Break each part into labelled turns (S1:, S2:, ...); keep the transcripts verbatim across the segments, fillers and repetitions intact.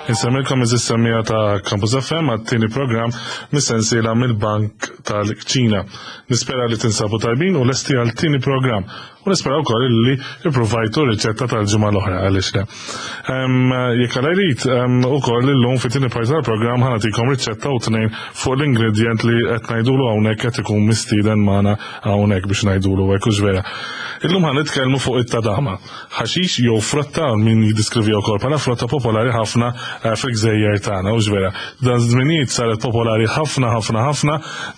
S1: Insemmilkom iż-semmija ta' Campus F M għat-tieni programm mis-sensiela mill-Bank tal-Kċina. Nispera li tinsabu tajbin u lesti għal-tieni programm. U nispera wkoll li ippruvajtu riċetta tal-ġimgħa l-oħra, għaliex le. Em, jekk għal jrid, em, ukoll illum fit-tieni parti tal-programm ħa nagħtikom riċetta u tnejn fuq l-ingredient li qed ngħidulu hawnhekk qed ikun mistieden magħna hawnhekk biex ngħidulu hekk, hux vera. Illum ħa nitkellmu fuq it-tadama. Ħaxix jew frotta, min jiddiskrivi wkoll bħala frotta popolari ħafna, eh, fil-gżejjer tagħna, hux vera. Dan żminijiet saret popolari ħafna, ħafna, ħafna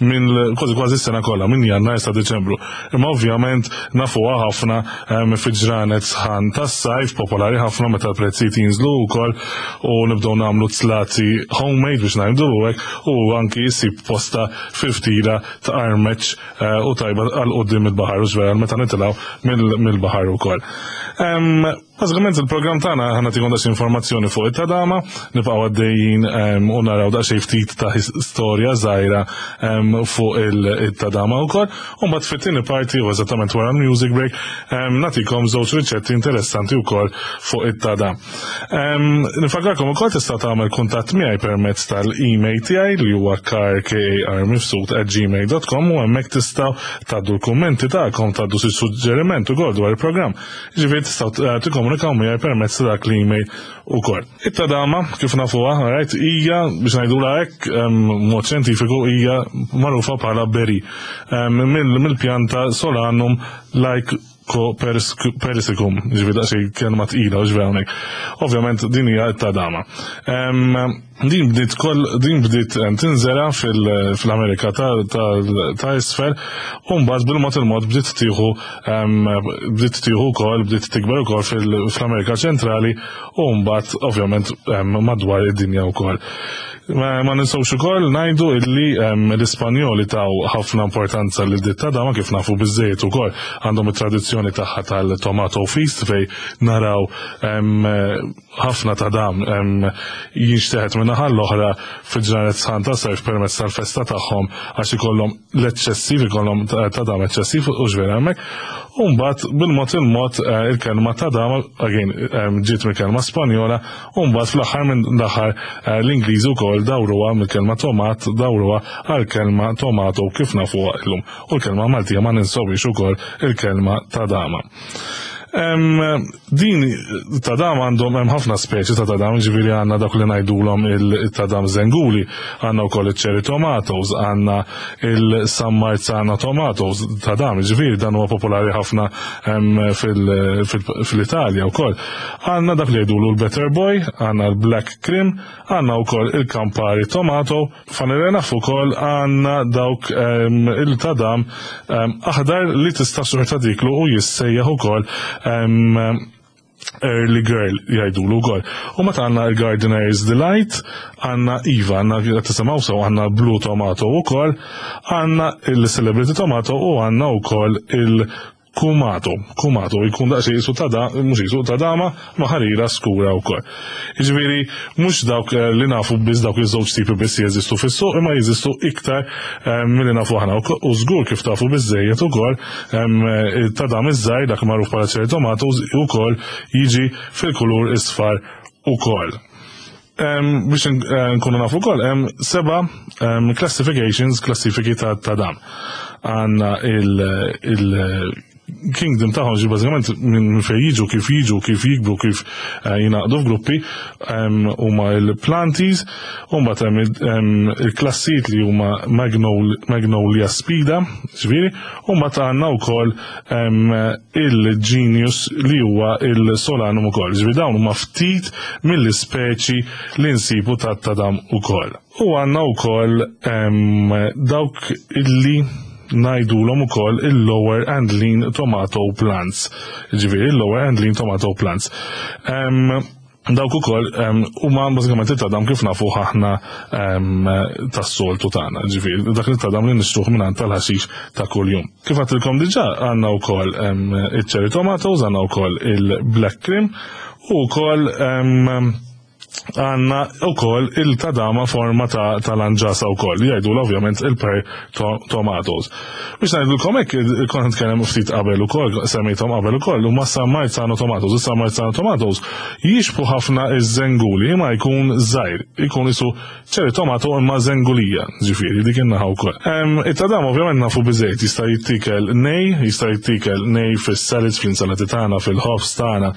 S1: minn kważi kważi s-sena kollha, minn Jannar sa Diċembru. Imma ovvjament nafuha ħafna, em, fi ġranet sħan tas-sajf, popolari ħafna meta l-prezzijiet jinżlu wkoll u nibdew nagħmlu tlati homemade biex ngħidu hekk, u anki jsib posta fil-ftira ta' armeċ, eh, u tajba għal quddiem il-baħar, u vera meta nitilgħu mill-, mill-baħar ukoll. Em, Bażikament il-programm tagħna ħa nagħtikom daqs informazzjoni fuq it-tadama, nibqgħu għaddejjin, em, u naraw daqsxejn ftit ta' his-, storja żgħira, em, fuq il-, it-tadama wkoll. U mbagħad fit-tieni parti, u eżattament wara l-music break, em, nagħtikom żewġ riċetti interessanti wkoll fuq it-tadam. Em, Nifakkarkom ukoll tista' tagħmel kuntatt miegħi permezz tal-email tiegħi li huwa kar k a r mifsud at gmail dot com, u hemmhekk tistgħu tgħaddu l-kummenti tagħkom, tgħaddu xi suġġeriment ukoll dwar il-programm. Jiġifieri tistgħu, eh, tikkomunikaw miegħi permezz ta' dak l-email ukoll. It-tadama, kif nafuha, right, hija, biex ngħidulha hekk, em, mod xjentifiku, hija magħrufa bħala berry. Em, mill-, mill-pjanta Solanum lycopersicum, ġifieri daqsxejn kelma tqila, u ġifieri hawnhekk. Ovvjament din hija t-tadama. Em, din bdiet koll, din bdiet, em, tinżera fil-, fl-Amerika ta', ta', ta' isfel, u mbagħad bil-mod il-mod bdiet tieħu, em, bdiet tieħu wkoll, bdiet tikber ukoll fil-, fl-Amerika ċentrali, u mbagħad ovvjament, em, madwar id-dinja wkoll. Ma, ma ninsewx ukoll ngħidu illi, em, l-Ispanjoli taw ħafna importanza lil dit tadama, kif nafu biżżejjed ukoll għandhom it-tradizzjoni tagħha tal-tomato feast fej naraw, em, ħafna tadam, em, jinxteħet minn naħa l-oħra fil-ġranet sħan ta' sajf permezz tal-festa tagħhom, għax ikollhom l-eċċessiv, ikollhom ta-, tadam eċċessiv u ġvera hemmhekk. U mbagħad bil-mod il-mod, eh, il-kelma tadam, again, em, ġiet mill-kelma Spanjola, u mbagħad fl-aħħar minn l-aħħar, eh, l-Ingliżi wkoll dawruha mill-kelma tomat, dawruha għall-kelma tomato kif nafuha llum. U l-kelma Maltija ma ninsewx ukoll il-kelma tadama. Em, din tadam għandhom hemm ħafna speċi ta' tadam, ġifieri għandna dak li ngħidulhom il-tadam zenguli, għandna wkoll iċ-cherry tomatoes, għandna il-San Marzano tomatoes tadam, ġifieri dan huwa popolari ħafna, em, fil-, fil-, fil-Italja wkoll. Għandna dak li jgħidulu l-Better Boy, għandna l-Black Cream, għandna wkoll il-Campari tomato, fanirena naf ukoll għandna dawk, em, il-tadam, em, aħdar li tista' xorta diklu u jissejjaħ ukoll, em, Early Girl jgħidulu wkoll. U meta għandna il-Gardener's Delight, għandna Iva, għandna qed tisimgħu sew, għandna Blue Tomato wkoll, għandna il-Celebrity Tomato u għandna wkoll il-Kumato. Kumato jkun daqsxejn jisu ta' da, mhux jisu ta' dama, ma ħarira skura wkoll. Jiġifieri mhux dawk, eh, li nafu biss dawk iż-żewġ tipi biss jeżistu fis-suq, imma jeżistu iktar, eh, milli nafu aħna. U żgur kif tafu biżżejjed ukoll, em, ta' dam iż-żgħir, dak magħruf bħala cherry tomatoes, ukoll jiġi fil-kulur isfar ukoll. Em, biex n-, eh, nkunu nafu wkoll, hemm seba', em, classifications, klassifiki ta', ta' dam. Għandna il-, il Kingdom tagħhom ġi bażikament minn fejn jiġu, kif jiġu, kif jikbru, kif, eh, jingħaqdu f'gruppi, em, huma il-planties, u mbagħad hemm il-, em, il-klassijiet li huma Magnol-, Magnolia Spida, ġifieri, u mbagħad għandna wkoll, em, il-Genius li huwa il-Solanum ukoll. Ġifieri dawn huma ftit mill-ispeċi li nsibu ta' tadam ukoll. U għandna wkoll, em, dawk illi ngħidulhom ukoll il-lower and lean tomato plants. Ġifieri il-lower and lean tomato plants. Em, dawk ukoll, em, huma bażikament it-tadam kif nafu aħna, em, tas-soltu tagħna, ġifieri dak it-tadam li nixtruh mingħand tal-ħaxix ta' kuljum. Kif għedtilkom diġà għandna wkoll, em, iċ-cherry tomatoes, għandna wkoll il-black cream u wkoll, em, Għandna wkoll il-tadama forma ta' tal-anġasa wkoll, jgħidu ovvjament il-pear tomatoes. Biex ngħidulkom hekk, kont nitkellem ftit qabel ukoll, semmejthom qabel ukoll, huma San Marzano tomatoes. Is-San Marzano tomatoes jixbhu ħafna iż-żenguli, imma jkun żgħir, jkun isu cherry tomato imma żengulija, ġifieri dik in-naħa wkoll. It-tadam ovvjament nafu biżejt jista' jittikel nej, jista' jittikel nej fis-salads, fl-insalati tagħna, fil-ħobż tagħna,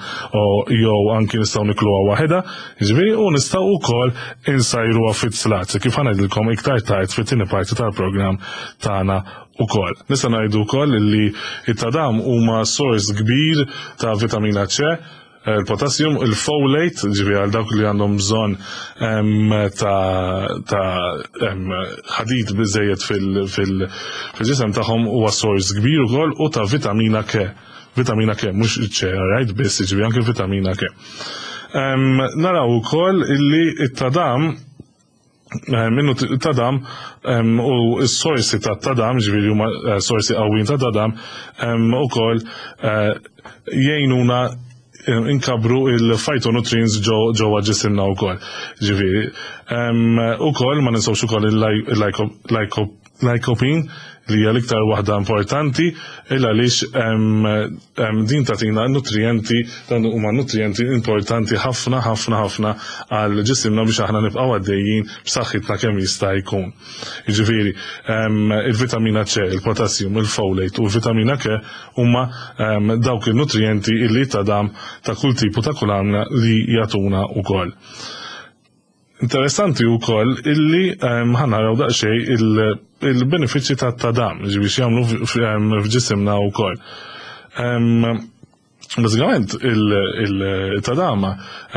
S1: jew anki nistgħu nikluha waħedha, ġifieri, u nistgħu wkoll insajruha fit-slat, kif ħa ngħidilkom iktar tard fit-tieni parti tal-programm tagħna ukoll. Nista' ngħidu wkoll li it-tadam huma sors kbir ta' vitamina C, il-potassium, il-folate, ġifieri għal dawk li għandhom bżonn ta' ħadid biżejjed fil-ġisem tagħhom, huwa sors kbir ukoll, u ta' vitamina K. Vitamina K, mhux C, right, biss, ġifieri anke vitamina K. Naraw ukoll illi it-tadam minnu tadam u s-sorsi ta' tadam, ġifieri huma eh, sorsi qawwin ta' tadam, ukoll eh, jgħinuna inkabru il-phytonutrients ġewwa ġisimna wkoll. Ġifieri, ukoll ma ninsewx ukoll il-lycopene, li hija l-iktar waħda importanti illa għaliex din tagħtina nutrienti, dan huma nutrienti importanti ħafna ħafna ħafna għal ġisimna biex aħna nibqgħu għaddejjin b'saħħitna kemm jista' jkun. Jiġifieri il-vitamina C, il-potassium, il-folate u l-vitamina K huma dawk il-nutrienti illi tadam ta' kull tipu ta' kull għamla li jagħtuna wkoll. Interessanti wkoll illi ħa naraw daqsxejn il-benefiċċji ta' tadam, ġifieri jagħmlu f'ġisimna wkoll. Bażikament il-tadama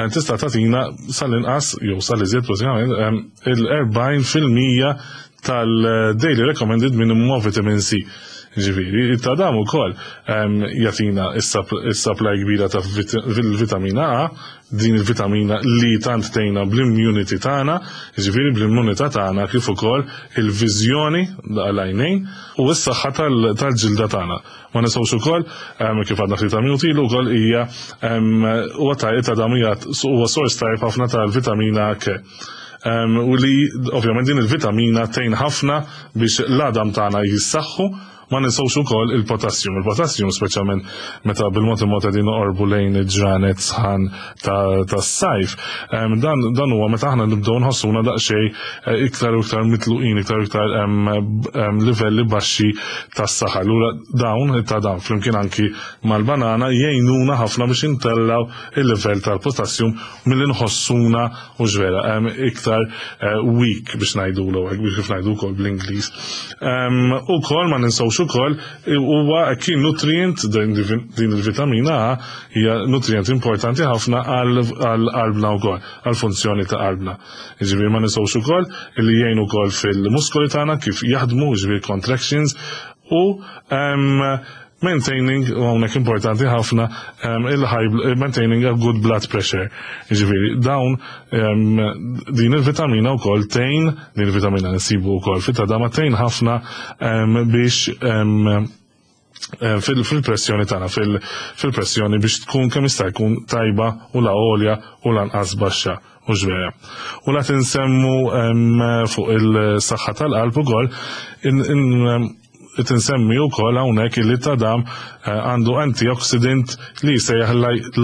S1: tista' tagħtina sal-inqas jew sal-iżjed bażikament il-erbgħin fil-mija tal-daily recommended minimum of vitamin C. Ġifieri, it-tadam ukoll jagħtina is-supply kbira ta' vitamina A, din il-vitamina li tant tgħinna bl-immunity tagħna, ġifieri bl-immunità tagħna, kif ukoll il-viżjoni għal-għajnejn u s-saħħa tal-ġilda tagħna. Ma ninsewx ukoll, kif għadna ftit minuti ilu wkoll, hija huwa tadam huwa sors tajjeb ħafna tal-vitamina K. U li ovvjament din il-vitamina tgħin ħafna biex l-għadam tagħna jissaħħu. Ma ninsewx ukoll il-potassium. Il-potassium, speċjalment meta bil-mod il-mod qegħdin noqorbu lejn il-ġranet sħan tas-sajf, dan dan huwa meta aħna nibdew nħossuna daqsxejn eh, iktar u iktar mitluqin, iktar u iktar livelli baxxi tas-saħħa. Allura dawn ta' dawn flimkien anki mal-banana jgħinuna ħafna biex intellaw il-livell tal-potassium milli nħossuna u ġvera iktar eh, weak, biex ngħidu biex kif ngħidu wkoll bl-Ingliż. Ukoll ma ninsewx ukoll huwa kien nutrient, din il-vitamina A hija nutrient importanti ħafna għal qalbna wkoll, għal funzjoni ta' qalbna. Jiġifieri ma ninsewx ukoll li jgħin ukoll fil-muskoli tagħna kif jaħdmu, jiġifieri contractions, u maintaining, u hawnhekk importanti ħafna, il-high maintaining a good blood pressure. Jiġifieri dawn din il-vitamina wkoll tgħin, din il-vitamina nsibu wkoll fit-tadama, tgħin ħafna biex fil-pressjoni tagħna, fil-pressjoni biex tkun kemm jista' jkun tajba u la għolja u lanqas baxxa u ġvera. U la tinsemmu fuq il-saħħa tal-qalb ukoll, tinsemmi wkoll hawnhekk li tadam eh, għandu antioxidant li jsejjaħ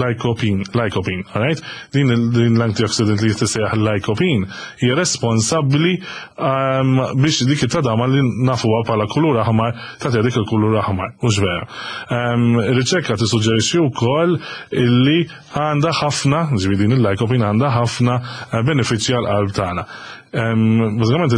S1: lycopene, lycopene, alright? Din l-antioxidant li jissejjaħ lycopene hija responsabbli ehm, biex dik it-tadama li nafuha bħala kulur aħmar tagħti dik il-kulur aħmar, u vera. Ehm, riċerka tissuġġerixxi wkoll illi għandha ħafna, ġifieri din il-lycopene għandha ħafna eh, benefiċċji għall-qalb tagħna. Ehm, bażikament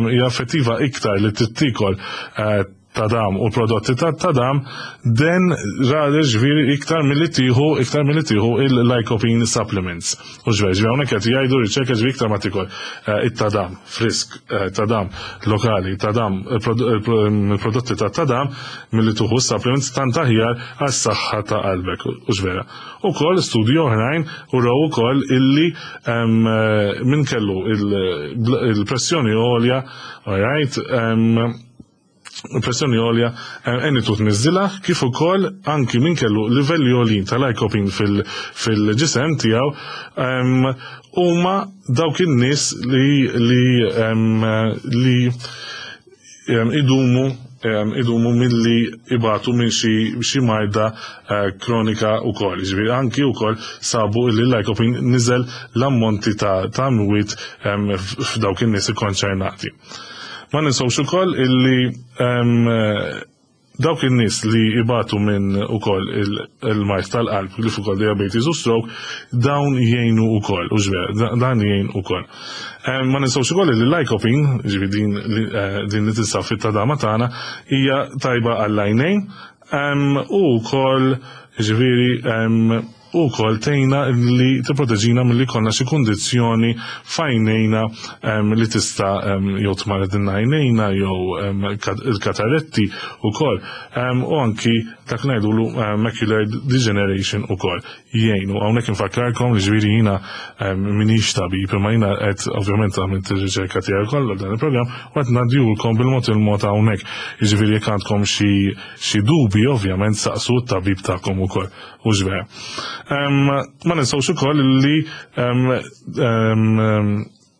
S1: hija effettiva iktar li tittikol eh, tadam u prodotti ta' tadam den rather, ġifieri iktar milli tieħu iktar milli tieħu il-lycopene supplements. U ġver, ġver, hawnhekk qed jgħidu riċerka, ġifieri iktar ma tikol eh, it-tadam frisk, eh, tadam lokali, tadam il-prodotti ta' tadam milli tieħu supplements, tant aħjar għas-saħħa ta' qalbek u ġvera. Ukoll studju oħrajn u raw ukoll illi eh, min kellu il-pressjoni għolja, all right, Pressjoni għolja għenitu tniżżilha, kif ukoll anki min kellu livelli għoljin ta' lycopene fil-ġisem tiegħu huma dawk in-nies li li li idumu idumu milli ibatu minn xi marda kronika wkoll. Ġifieri anki wkoll sabu li l-lycopene niżel l-ammonti ta' mwiet f'dawk in-nies ikkonċernati. Ma ninsewx ukoll illi dawk in-nies li ibatu minn ukoll il-mard tal-qalb, li ukoll diabetes u stroke, dawn jgħinu ukoll, u ġver, dan jgħin ukoll. Ma ninsewx ukoll li l-lycopene, ġifieri din, din li tinsab fit-tadama tagħna, hija tajba għall-għajnejn u wkoll, ġifieri, u wkoll tgħinna li tipproteġina milli jkollna xi kundizzjoni f'għajnejna li tista' jew tmaredilna għajnejna jew il-kataretti wkoll, u anki dak ngħidulu macular degeneration ukoll jgħinu. Hawnhekk infakkarkom li ġifieri jiena m'iniex tabib, imma jiena qed ovvjament għamilt ir-riċerka tiegħi kollha dan il-programm u qed ngħaddihulkom bil-mod il-mod hawnhekk. Jiġifieri jekk għandkom xi dubi, ovvjament saqsu t-tabib tagħkom ukoll. U ġvera. Ma ninsewx ukoll li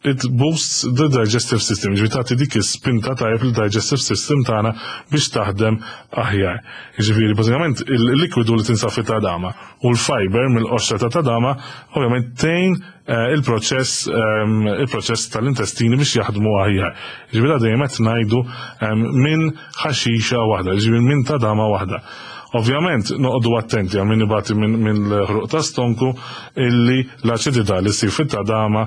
S1: it boosts the digestive system, ġifieri tagħti dik is-spinta tajjeb il-digestive system tagħna biex taħdem aħjar. Ġifieri bażikament il-likwidu li tinsab fit-tadama u l-fiber mill-qoxra ta' tadama ovvjament tgħin il-proċess il-proċess tal-intestini biex jaħdmu aħjar. Ġifieri dejjem qed ngħidu minn ħaxixa waħda, ġifieri minn tadama waħda. Ovvjament, noqogħdu attenti għal min ibati minn l-ħruq ta' stonku illi l-aċidità li ssir fit-tadama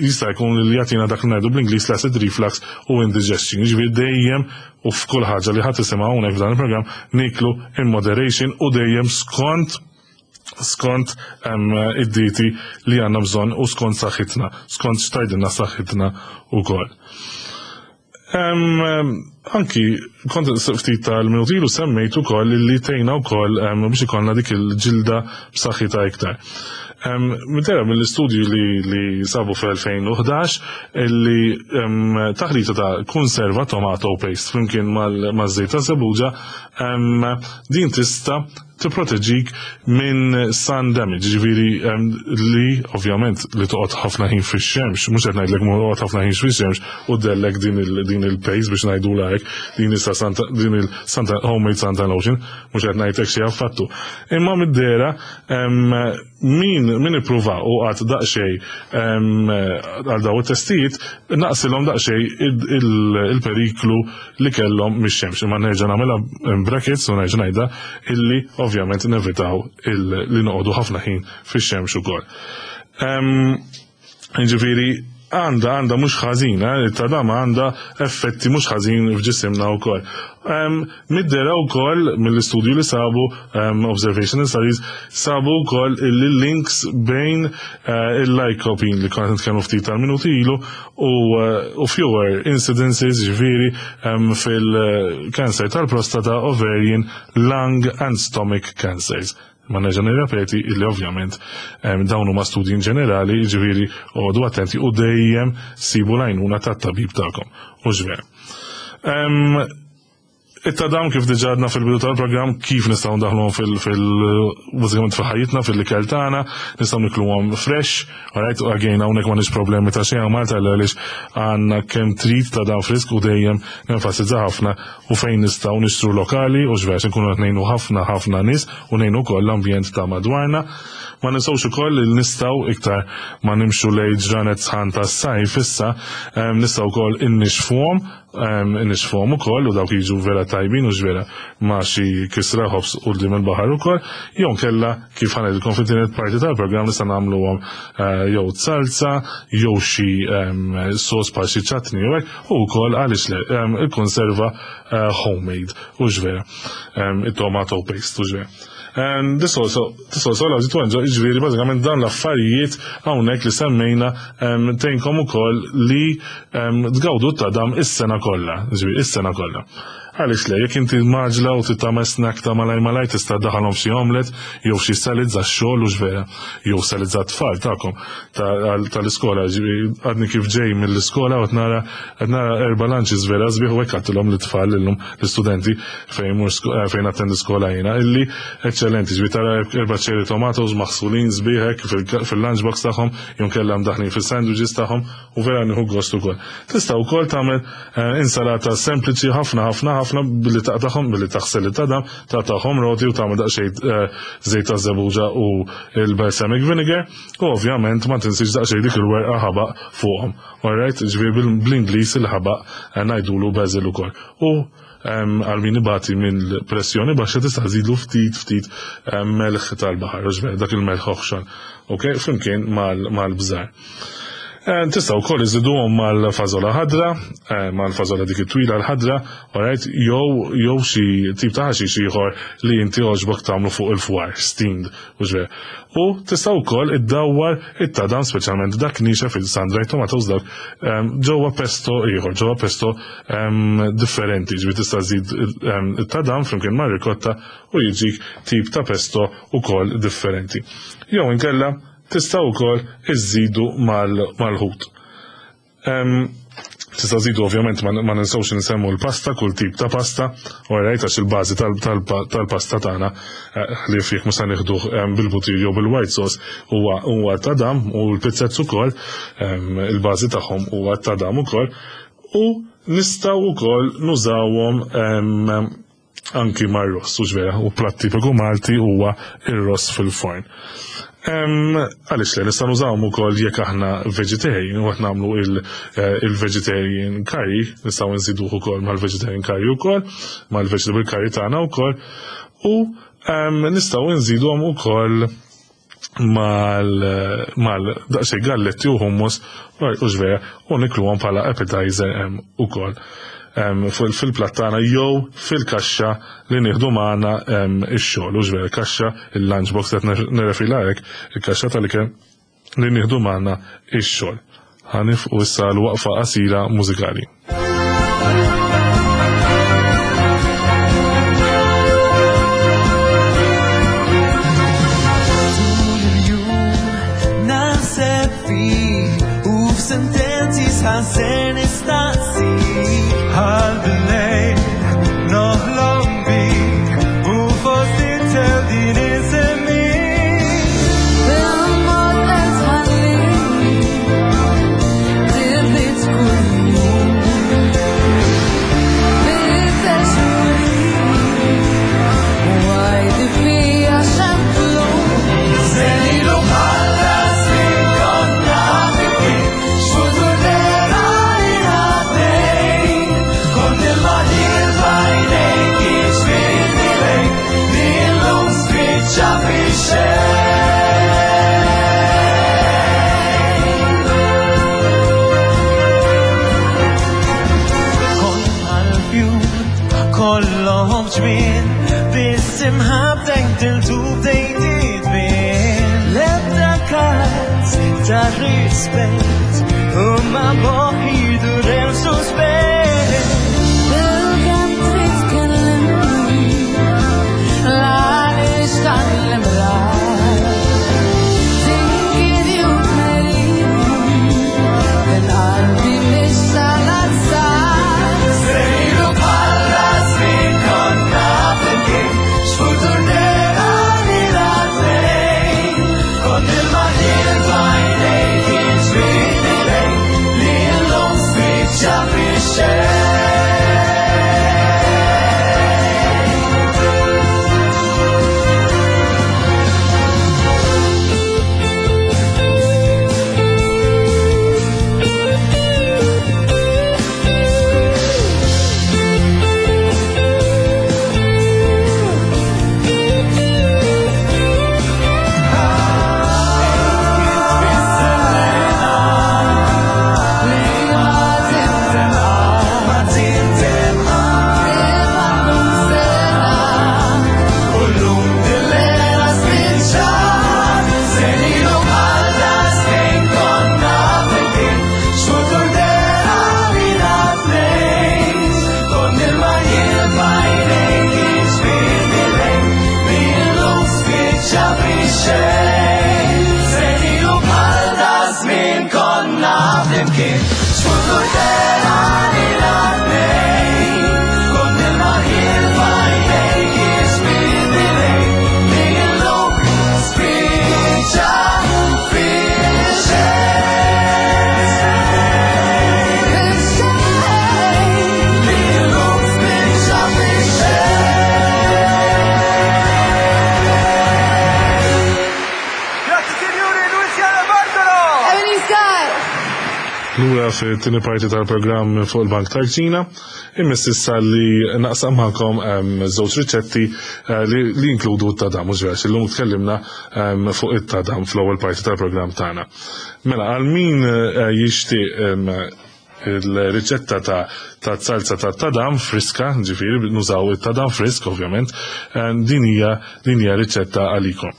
S1: jista' jkun li jagħtina dak li ngħidu bl-Ingliż l-acid reflux u indigestion. Jiġifieri dejjem u f'kull ħaġa li ħadd tisimgħu hawnhekk f'dan il-programm niklu in moderation u dejjem skont skont id-dieti li għandna bżonn u skont saħħitna, skont x'tgħidilna saħħitna wkoll. Anki, kont ftit tal-minuti ilu semmejt ukoll li tgħinna wkoll biex ikollna dik il-ġilda b'saħħitha iktar. Midera mill-istudju li, li sabu fl-elfejn u ħdax illi taħlita ta' konserva tomato paste flimkien mal-żejt ta' żebbuġa din tista' tipproteġik minn sun damage, ġifieri li ovvjament li toqgħod ħafna ħin fix-xemx, mhux qed ngħidlek toqgħod ħafna ħin fix-xemx u dellek din din il-paste biex ngħidulha hekk, din issa din il-santa homemade suntan lotion, mhux qed ngħidlek xi affattu. Imma mid-dera min min ippruva u qatt daqsxejn għal daw it-testijiet naqsilhom daqsxejn il-periklu li kellhom mix-xemx. Imma nerġa' nagħmilha brackets u nerġa' ngħidha illi ovvjament nevitaw li noqogħdu ħafna ħin fix-xemx ukoll. Ġifieri għandha għandha mhux ħażin, it-tadama għandha effetti mhux ħażin f'ġisimna wkoll. Mid-dera wkoll mill-istudju li sabu, observational studies, sabu wkoll il-links bejn il-lycopene li konna nitkellmu ftit tal-minuti ilu u fewer incidences, ġifieri, fil-cancer tal-prostata, ovarian, lung and stomach cancers. Ma nerġa' nirrepeti illi ovvjament dawn huma studji in ġenerali, ġifieri oqogħdu attenti u dejjem sibu l-għajnuna tat-tabib tagħkom. U ġver. It-tadam, kif diġà għadna fil-bidu tal-programm, kif nistgħu ndaħluhom fil- bażikament fil-ħajjitna, fil-ikel tagħna, nistgħu nikluhom fresh, alright, again hawnhekk m'għandniex problemi ta' xejn Malta għaliex għandna kemm trid tadam frisk u dejjem nenfasizza ħafna u fejn nistgħu nixtru lokali u x'vers nkunu qed ngħinu ħafna ħafna nies u ngħinu wkoll l-ambjent ta' madwarna. Ma ninsewx ukoll li nistgħu, iktar ma nimxu lejn ġranet sħan tas-sajf issa, nistgħu wkoll innixfuhom innixfuhom ukoll u dawk jiġu vera tajbin u ġvera ma' xi kisra ħobż quddiem il-baħar ukoll, jew kella kif ħa ngħidilkom fit-tielet parti tal-programm nista' nagħmluhom jew salsa jew xi sos bħal xi chutney jew hekk, u wkoll għaliex le il-konserva homemade u ġvera it-tomato paste u ġvera. And this also, this also allows you to enjoy, ġifieri bażikament dan l-affarijiet hawnhekk li semmejna tgħinkom ukoll li tgawdu tadam is-sena kollha, ġifieri is-sena kollha. Għaliex le, jekk inti maġla u trid tagħmel snack ta' malaj malaj tista' daħalhom xi omelet jew xi salads għax-xogħol u x'vera, jew salads għat-tfal tagħkom tal-iskola. Għadni kif ġej mill-iskola u qed nara qed nara erba' lunches vera sbieħ u hekk għadtilhom lit-tfal illum l-istudenti fejn fejn attendi skola jiena illi eċċellenti, ġifieri tara erba' cherry tomatoes maħsulin sbieħ hekk fil-lunch box tagħhom jew kellha mdaħlin fis-sandwiches tagħhom u vera nieħu gost ukoll. Tista' wkoll tagħmel insalata sempliċi ħafna ħafna ħafna billi taqtagħhom, billi taħsel it-tadam, taqtagħhom roti u tagħmel daqsxejn żejt taż-żebbuġa u l-balsamic vinegar u ovvjament ma tinsiex daqsxejn dik il-werqa ħabaq fuqhom. Alright, ġifieri bl-Ingliż il-ħabaq ngħidulu basil ukoll. U għal min ibati minn pressjoni baxxa tista' żidlu ftit ftit melħ tal-baħar, ġifieri dak il-melħ oħxon, ok, flimkien mal-bżar. Tista' wkoll iżiduhom mal-fażola ħadra, mal-fażola dik it-twila l-ħadra, alright, jew jew xi tip ta' ħaxix ieħor li inti għoġbok tagħmlu fuq il-fwar, steamed, u ġver. U tista' wkoll iddawwar it-tadam, speċjalment dak niexef il-sun-dried tomatoes dak, ġewwa pesto ieħor, ġewwa pesto differenti, ġifieri tista' żid it-tadam flimkien mar-rikotta u jiġik tip ta' pesto ukoll differenti. Jew inkella tista' wkoll iżidu mal-ħut. Tista' żidu ovvjament ma ninsewx insemmu l-pasta, kull tip ta' pasta, alright, għax il-bażi tal-pasta tagħna li fih mhux se nieħduh bil-butir jew bil-white sauce huwa huwa tadam u l-pizzezz ukoll il-bażi tagħhom huwa tadam ukoll u nistgħu wkoll nużawhom anki mar-ross, u ġvera, u platt tipiku Malti huwa ir-ross fil-forn. Għaliex le, nistgħu nużawhom ukoll jekk aħna vegetarian u qed nagħmlu il-vegetarian curry, nistgħu nżiduh ukoll mal-vegetarian curry ukoll, mal-vegetable curry tagħna wkoll, u nistgħu nżiduhom ukoll mal mal daqsxejn galletti u hummus u ġvera u nikluhom bħala appetizer ukoll fil-platt tagħna jew fil-kaxxa li nieħdu magħna ix-xogħol, u ġvera kaxxa il-lunch box qed nirrefila hekk, il-kaxxa tal-ikel li nieħdu magħna ix-xogħol. Ħanifqu issa l-waqfa qasira mużikali.
S2: Sentenzi sħanser nistaqsik għal bil-lejl noħlom bik u fost it-tel din insemmik.
S3: Bil-mod qed tħallini tibit kuljum bit-teġuri u għajdi fija xemplu.
S2: Senilu bħala żmien konna flimkien, x'futur dera li għaddej. Kont il-maħir f'għajnejk jiġbidni lejk, li llum spiċċa fix-xejn. Kont bħal-fjur kollhom ġmien, biss imħabbtek tiltu bdejt titbien. L-ebda każ ta' rispett u ma' moħħi jdur hemm suspett.
S3: Bil-kemm trid tkellimni, l-għaliex dan l-imrar. Tinkidi u tmerini, minn qalbi mhix tal-azzar.
S2: Sejru bħala żmien konna flimkien, x'futur dera li għaddej. Kont il-maħir f'għajnejk jiġbidni lejk, li llum spiċċa fix-xejn. konna flimkien. X'futur dera lilna t-tnejn, kont il-marħil f'għajnejk iġbidni lejk, li llum spiċċa fix-xejn. Li llum spiċċa fix-xejn.
S4: Grazie signori, Luciana Bartolo!
S3: Ebony Scott.
S1: Lura fit-tieni parti tal-programm fuq il-Bank tal-Kċina, immiss issa li naqsam magħkom em, żewġ riċetti eh, li li jinkludu t-tadam, mhux vera, illum tkellimna em, fuq it-tadam fl-ewwel parti tal-programm tagħna. Mela, għal min eh, jixtieq em, il-riċetta ta' ta' salsa ta' tadam friska, ġifieri nużaw it-tadam frisk ovvjament, eh, din hija din hija riċetta għalikom.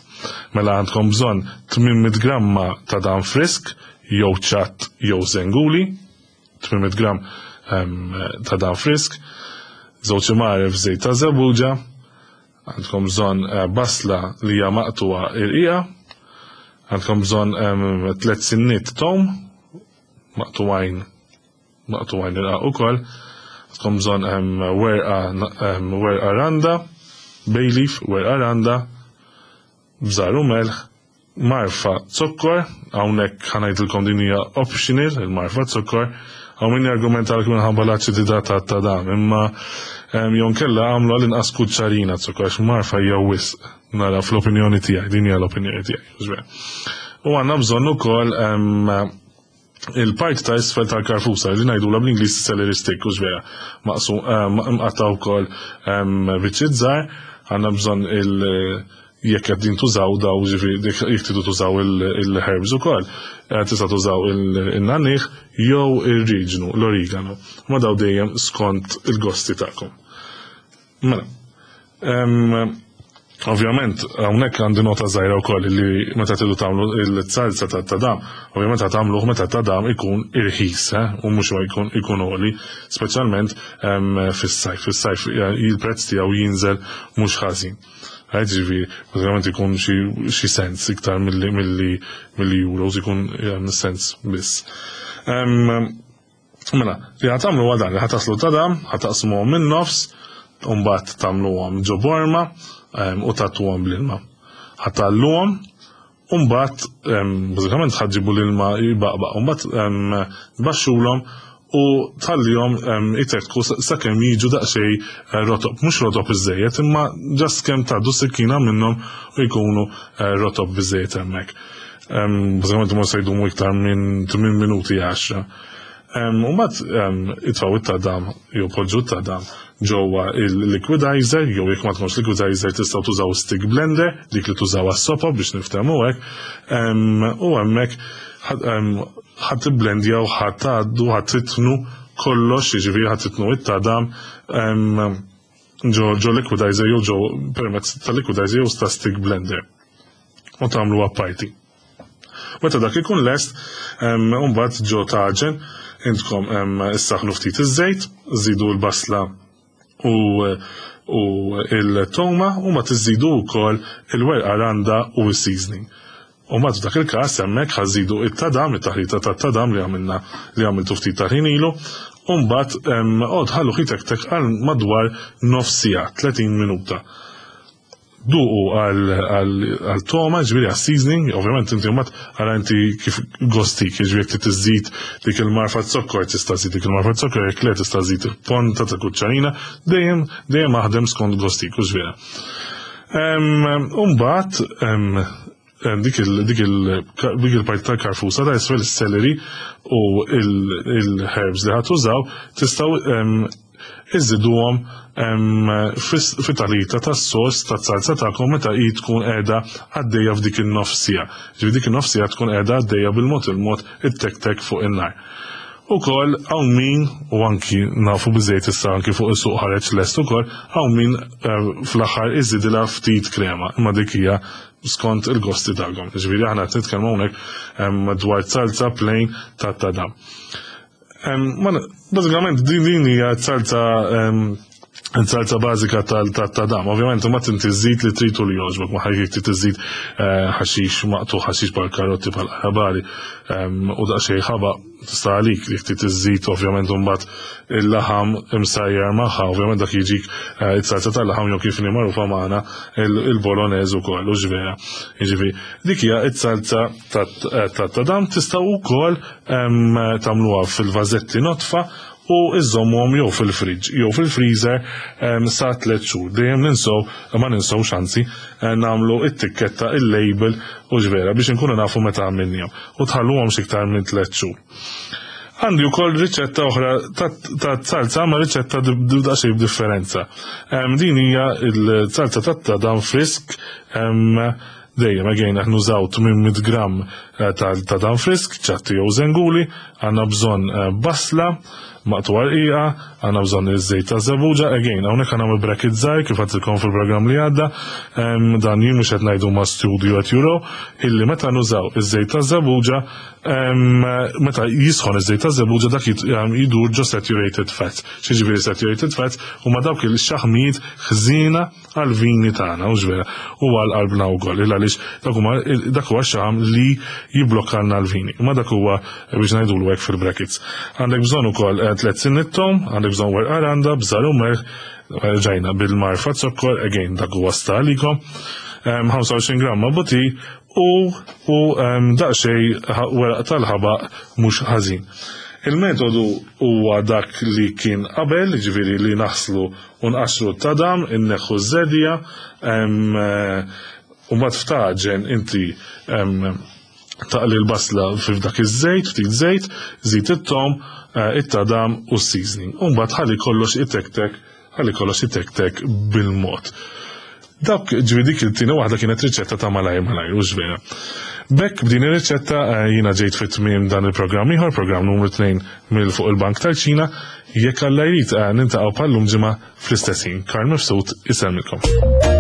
S1: Mela għandkom bżonn tmien mitt gramma tadam frisk, jew ċatt jew zenguli, tmien mitt gram em, tadam frisk, żewġ imgħaref żejt ta' żebbuġa, għandkom bżonn eh, basla li hija maqtuwa irqiqa, għandkom bżonn em, tliet sinniet tom, maqtuwajn maqtuwajn irqaq ukoll, għandkom bżonn em, werqa em, werqa randa, bay leaf, werqa randa, bżar u melħ, marfa zokkor, hawnhekk ħa ngħidilkom din hija optional, il-marfa zokkor, hawn min jargumenta għal minħabba l-aċidità ta' tadam, imma em, jew inkella għamlu għal-inqas kuċċarina zokkor, għax marfa hija wisq, nara fl-opinjoni tiegħi, din hija l-opinjoni tiegħi. Mhux vera. U għandna bżonn ukoll em, il-part ta' isfel tal-karfusa li ngħidula bl-Ingliż celery stick, u vera, maqsum mqatta wkoll biċċiet żgħar, għandna bżonn il- jekk qed din tużaw daw, ġifieri jekk tridu tużaw il-herbs ukoll, eh, tista' tużaw il-nagħniegħ jew ir-riġnu, l-origano. Ma daw dejjem skont il-gosti tagħkom. Mela, em, ovvjament, hawnhekk għandi nota żgħira wkoll li meta tridu tagħmlu il-salsa ta' tadam, ovvjament ta' tagħmluh meta tadam ikun irħis, eh, u mhux jkun ikun għoli, speċjalment em, fis-sajf. Fis-sajf eh, il-prezz tiegħu jinżel mhux ħażin. Għajt ġifieri, bażikament ikun xi xi cents iktar milli milli milli euros, ikun em, cents biss. Em, Mela, li ħa tagħmlu għadan, li ħa tagħslu tadam, ħa taqsmuhom minn nofs, u mbagħad tagħmluhom ġo borma em, u tagħtuhom bl-ilma. Ħa tgħalluhom, u mbagħad em, bażikament ħa ġġibu l-ilma jbaqbaq, u mbagħad em, tbaxxulhom u tħallihom em, itekku sakemm jiġu daqsxejn eh, rotob, mhux rotob iżejjed, imma just kemm tgħaddu sikkina minnhom u jkunu eh, rotob biżejjed hemmhekk. Em, Bażikament ma se jdumu iktar minn tmien minuti, għaxra. U mbagħad itfgħu it-tadam jew poġġu t-tadam ġewwa il-liquidizer, jew jekk ma tkunx liquidizer tistgħu tużaw stick blender, dik li tużaw għas-sopa biex niftehmu hekk. Em, U hemmhekk ħa tibblendjaw, ħa tgħaddu, ħa titnu kollox, jiġifieri ħa titnu it-tadam em, ġo ġo liquidizer jew ġo permezz ta' liquidizer jew ta' stick blender. U tagħmlu apparti. Meta dak ikun lest, mbagħad ġo taġen intkom em, issaħnu ftit iż-żejt, żidu l-basla u u il-toma u ma tiżidu wkoll il-werqa randa u s-seasoning. U mbagħad f'dak il-każ hemmhekk ħa żżidu it-tadam, it-taħlita tat-tadam li għamilna, li għamiltu ftit ta' ħin ilu, u mbagħad għod ħallu tek għal madwar nofs siegħa, tletin minuta. Duqu għal toma, ġifieri għal seasoning, ovvjament inti mbagħad għara inti kif gostik, ġifieri jekk tiżid dik il-marfa zokkor, tista' żid dik il-marfa zokkor, jekk le tista' żid il-ponta ta' kuċċarina, dejjem dejjem aħdem skont gostik, u ġifieri. Umbagħad dik il dik il dik il-parti tal-karfusa ta' isfel, il-celery u il-herbs li ħa tużaw, tistgħu iżiduhom fit-taħlita tas-sos tas-salsa tagħkom meta hi tkun qiegħda għaddejja f'dik in-nofsija. Ġifieri dik in-nofsija tkun qiegħda għaddejja bil-mod il-mod it-tek-tek fuq in-nar. Ukoll hawn min, u anki nafu biżejt issa anki fuq is-suq ħareġ lest ukoll, hawn min eh, fl-aħħar iżidilha ftit krema, imma dik hija skont il-gosti tagħkom. Ġifieri aħna qed nitkellmu hawnhekk dwar salsa plain ta' tadam. Bażikament din din hija salsa Salsa bażika tal-tadam. Ovvjament, ma tinti żżid li tritu li jogħġbok, ma ħajjek trid iżid eh, ħaxix maqtu, ħaxix bħal karotti, bħal ħabari u daqsxejn ħabaq tista' għalik li trid iżid. Ovvjament imbagħad il-laħam imsajjar magħha, ovvjament dak jiġik eh, it-salsa tal-laħam jew kif magħrufa magħna il-bolognese ukoll, u ġvera. Jiġifieri dik hija it-salsa tat-tadam. Tistgħu wkoll tagħmluha fil-vażetti notfa u iżommhom jew fil-fridge jew fil-freezer sa tliet xhur. Dejjem ninsow, ma ninsow xanzi, eh, nagħmlu it-tikketta, il-label, u ġvera, biex inkunu nafu meta għamilnihom u tħalluhom xiktar minn tliet xhur. Għandi wkoll riċetta oħra ta' salsa, ma riċetta daqsxejn b'differenza. Din hija il-salsa ta' tadam frisk. Dejjem, again, aħna nużaw tmien mitt gram eh, ta' tadam frisk, ċatti jew zenguli, għandna bżonn eh, basla maqtugħa rqiqa, għandna bżonn iż-żejt ta' żebbuġa. Again, hawnhekk għandna bracket żgħir, kif għedtilkom fil-programm li għadda, dan jien mhux qed ngħidu ma' studio at Euro, illi meta nużaw iż-żejt ta' żebbuġa, meta jisħon iż-żejt ta' żebbuġa, dak jidur ġo saturated fats. X'jiġifieri saturated fats? Huma dawk il-xaħmijiet ħżiena għal-vini tagħna, u ġvera, u għal qalbna wkoll, il għaliex dak huwa xaħam li jiblokkalna l-vini. Ma dak huwa biex ngħidulu hekk fil-brackets. Għandek bżonn ukoll eh, tliet sinniet tom, għandek bżonn werqa randa, bżar u melħ, ġajna bil-marfa zokkor, again dak huwa stalikom, ħamsa u għoxrin gramma butir u u daqsxejn weraq tal-ħabaq mhux ħażin. Il-metodu huwa dak li kien qabel, ġifieri li naħslu u nqaxru t-tadam, inneħħu z-zedja, u mbagħad ftaġen inti taqli l-basla f'dak iż-żejt, ftit żejt, żid it-tom, eh, it-tadam u s-seasoning. U mbagħad ħalli kollox itektek, ħalli kollox itektek bil-mod. Dak ġifieri dik il-tieni waħda kienet riċetta ta' malajr malajr, u ġvera. Bekk b'din ir-riċetta eh, jiena ġejt fit-tmiem dan il-programm ieħor, programm numru tnejn mill fuq il-Bank tal-Ċina. Jekk Alla jrid, eh, niltaqgħu bħal-lum ġimgħa fl-istess ħin. Karl Mifsud isellmilkom.